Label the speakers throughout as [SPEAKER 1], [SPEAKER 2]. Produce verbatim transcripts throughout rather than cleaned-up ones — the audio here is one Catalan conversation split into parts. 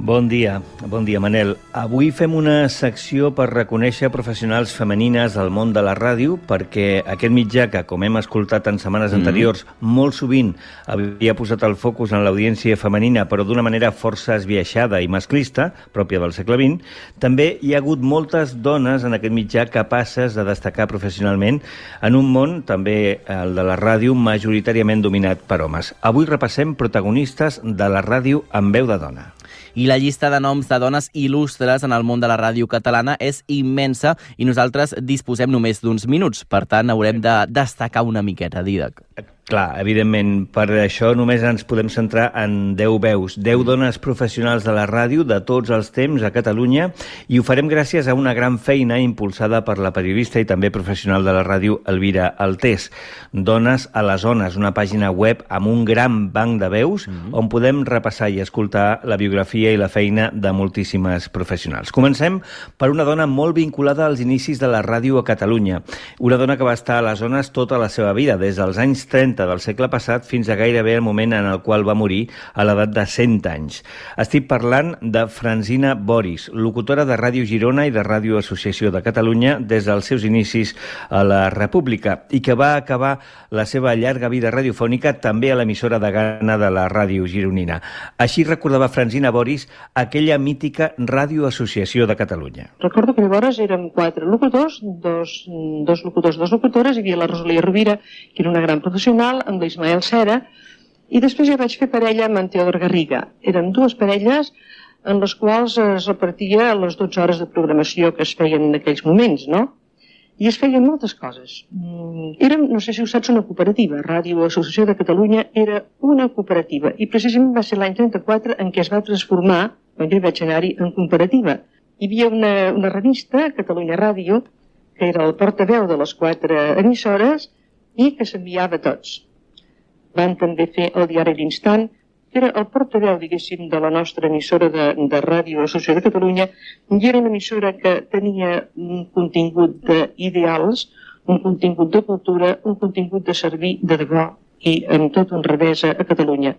[SPEAKER 1] Bon dia, bon dia, Manel. Avui fem una secció per reconèixer professionals femenines del món de la ràdio, perquè aquest mitjà que, com hem escoltat en setmanes anteriors, mm. molt sovint havia posat el focus en l'audiència femenina, però d'una manera força esbiaixada i masclista, pròpia del segle vint, també hi ha hagut moltes dones en aquest mitjà capaces de destacar professionalment en un món, també el de la ràdio, majoritàriament dominat per homes. Avui repassem protagonistes de la ràdio amb veu de dona.
[SPEAKER 2] I la llista de noms de dones il·lustres en el món de la ràdio catalana és immensa i nosaltres disposem només d'uns minuts. Per tant, haurem de destacar una miqueta, Dídac.
[SPEAKER 1] Clar, evidentment, per això només ens podem centrar en deu veus, deu dones professionals de la ràdio de tots els temps a Catalunya, i ho farem gràcies a una gran feina impulsada per la periodista i també professional de la ràdio Elvira Altés. Dones a les Ones, una pàgina web amb un gran banc de veus mm-hmm. on podem repassar i escoltar la biografia i la feina de moltíssimes professionals. Comencem per una dona molt vinculada als inicis de la ràdio a Catalunya, una dona que va estar a les Ones tota la seva vida, des dels anys trenta del segle passat fins a gairebé el moment en el qual va morir a l'edat de cent anys. Estic parlant de Francina Boris, locutora de Ràdio Girona i de Ràdio Associació de Catalunya des dels seus inicis a la República i que va acabar la seva llarga vida radiofònica també a l'emissora de Gana de la Ràdio Gironina. Així recordava Francina Boris aquella mítica Ràdio Associació de Catalunya.
[SPEAKER 3] Recordo que llavors érem quatre locutors, dos, dos locutors, dos locutores, hi havia la Rosalia Rovira, que era una gran professional, amb l'Ismael Cera, i després ja vaig fer parella amb en Teodor Garriga. Eren dues parelles en les quals es repartia les dotze hores de programació que es feien en aquells moments, no? I es feien moltes coses. Érem, no sé si ho saps, una cooperativa. Ràdio Associació de Catalunya era una cooperativa, i precisament va ser l'any trenta-quatre en què es va transformar, quan jo vaig anar-hi, en cooperativa. Hi havia una, una revista, Catalunya Ràdio, que era el portaveu de les quatre emissores, i que s'enviava a tots. Van també fer el diari L'Instant, que era el portaveu, diguéssim, de la nostra emissora de, de Ràdio Associació de Catalunya, i era una emissora que tenia un contingut d'ideals, un contingut de cultura, un contingut de servir de debò i amb tot un revés a Catalunya.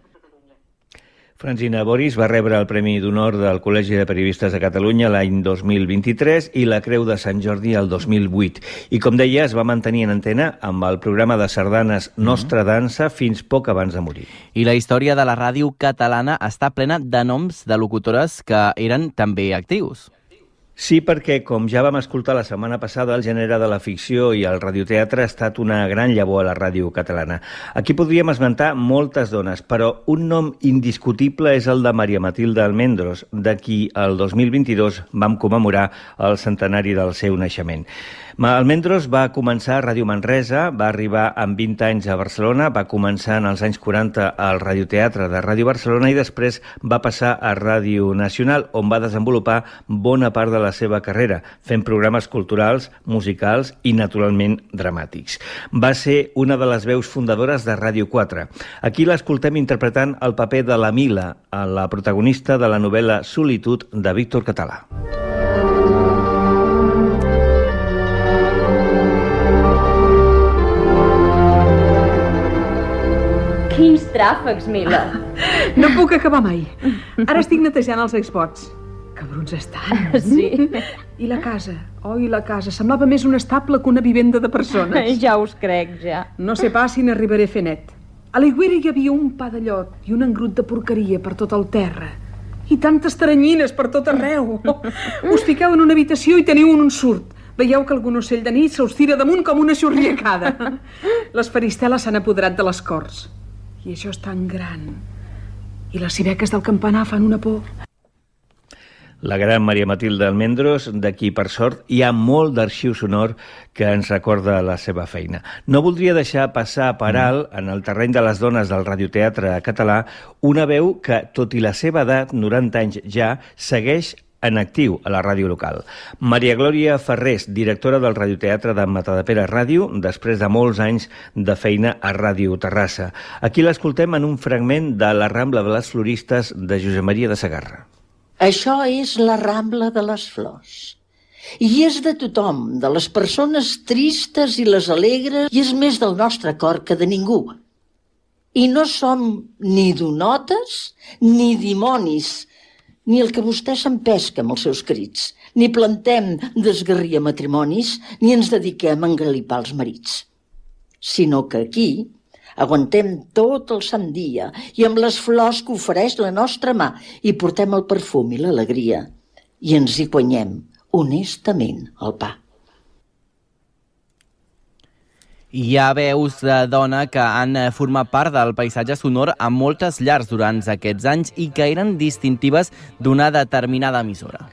[SPEAKER 1] Francina Boris va rebre el Premi d'Honor del Col·legi de Periodistes de Catalunya l'any dos mil vint-i-tres i la Creu de Sant Jordi el dos mil vuit. I, com deia, es va mantenir en antena amb el programa de sardanes Nostra Dansa fins poc abans de morir.
[SPEAKER 2] I la història de la ràdio catalana està plena de noms de locutores que eren també actius.
[SPEAKER 1] Sí, perquè, com ja vam escoltar la setmana passada, el gènere de la ficció i el radioteatre ha estat una gran llavor a la ràdio catalana. Aquí podríem esmentar moltes dones, però un nom indiscutible és el de Maria Matilde Almendros, de qui el dos mil vint-i-dos vam commemorar el centenari del seu naixement. Almendros va començar a Ràdio Manresa, va arribar amb vint anys a Barcelona, va començar en els anys quaranta al radioteatre de Ràdio Barcelona i després va passar a Ràdio Nacional, on va desenvolupar bona part de la seva carrera, fent programes culturals, musicals i, naturalment, dramàtics. Va ser una de les veus fundadores de Ràdio quatre. Aquí l'escoltem interpretant el paper de la Mila, la protagonista de la novel·la Solitud de Víctor Català.
[SPEAKER 4] Quins tràfecs, Mila!
[SPEAKER 5] No puc acabar mai. Ara estic netejant els Xbox. Cabrons estan.
[SPEAKER 4] Sí.
[SPEAKER 5] I la casa? Oh, i la casa. Semblava més un estable que una vivenda de persones.
[SPEAKER 4] Ja us crec, ja.
[SPEAKER 5] No sé pas si n'arribaré a fer net. A l'aigüera hi havia un pa de llot i un engrut de porqueria per tot el terra. I tantes taranyines per tot arreu. Us fiqueu en una habitació i teniu un ensurt. Veieu que algun ocell de nit se us tira damunt com una xurriacada. Les faristeles s'han apoderat de les corts. I això és tan gran. I les civeques del campanar fan una por.
[SPEAKER 1] La gran Maria Matilde Almendros, de qui, per sort, hi ha molt d'arxiu sonor que ens recorda la seva feina. No voldria deixar passar per alt, en el terreny de les dones del radioteatre català, una veu que, tot i la seva edat, noranta anys ja, segueix en actiu a la ràdio local. Maria Glòria Ferrés, directora del radioteatre de Matadepera Ràdio, després de molts anys de feina a Ràdio Terrassa. Aquí l'escoltem en un fragment de La Rambla de les Floristes de Josep Maria de Sagarra.
[SPEAKER 6] Això és la Rambla de les Flors. I és de tothom, de les persones tristes i les alegres, i és més del nostre cor que de ningú. I no som ni donotes ni dimonis, ni el que vostè s'empesca amb els seus crits, ni plantem d'esgarrir a matrimonis, ni ens dediquem a engalipar els marits. Sinó que aquí aguantem tot el sant dia i amb les flors que ofereix la nostra mà hi portem el perfum i l'alegria i ens hi guanyem honestament el pa.
[SPEAKER 2] Hi ha veus de dona que han format part del paisatge sonor a moltes llars durant aquests anys i que eren distintives d'una determinada emissora.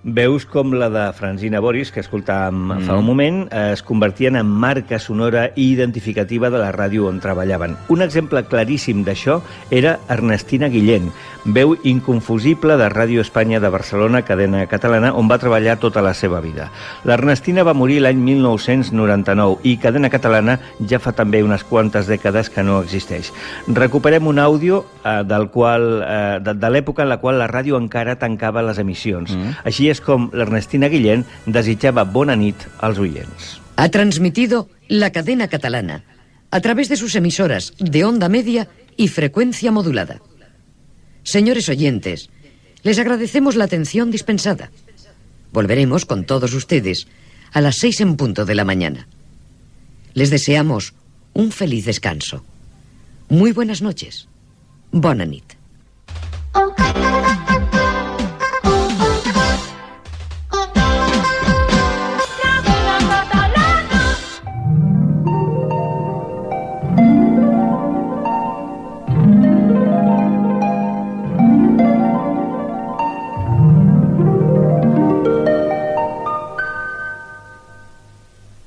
[SPEAKER 1] Veus com la de Francina Boris, que escoltàvem mm. fa un moment, es convertien en marca sonora i identificativa de la ràdio on treballaven. Un exemple claríssim d'això era Ernestina Guillén, veu inconfusible de Ràdio Espanya de Barcelona, cadena catalana, on va treballar tota la seva vida. L'Ernestina va morir l'any mil nou-cents noranta-nou i cadena catalana ja fa també unes quantes dècades que no existeix. Recuperem un àudio eh, del qual, eh, de, de l'època en la qual la ràdio encara tancava les emissions. Mm. Així és com l'Ernestina Guillén desitjaba bona nit als oients.
[SPEAKER 7] Ha transmitido la cadena catalana a través de sus emisoras de onda media y frecuencia modulada. Señores oyentes, les agradecemos la atención dispensada. Volveremos con todos ustedes a las seis en punto de la mañana. Les deseamos un feliz descanso. Muy buenas noches. Bona nit.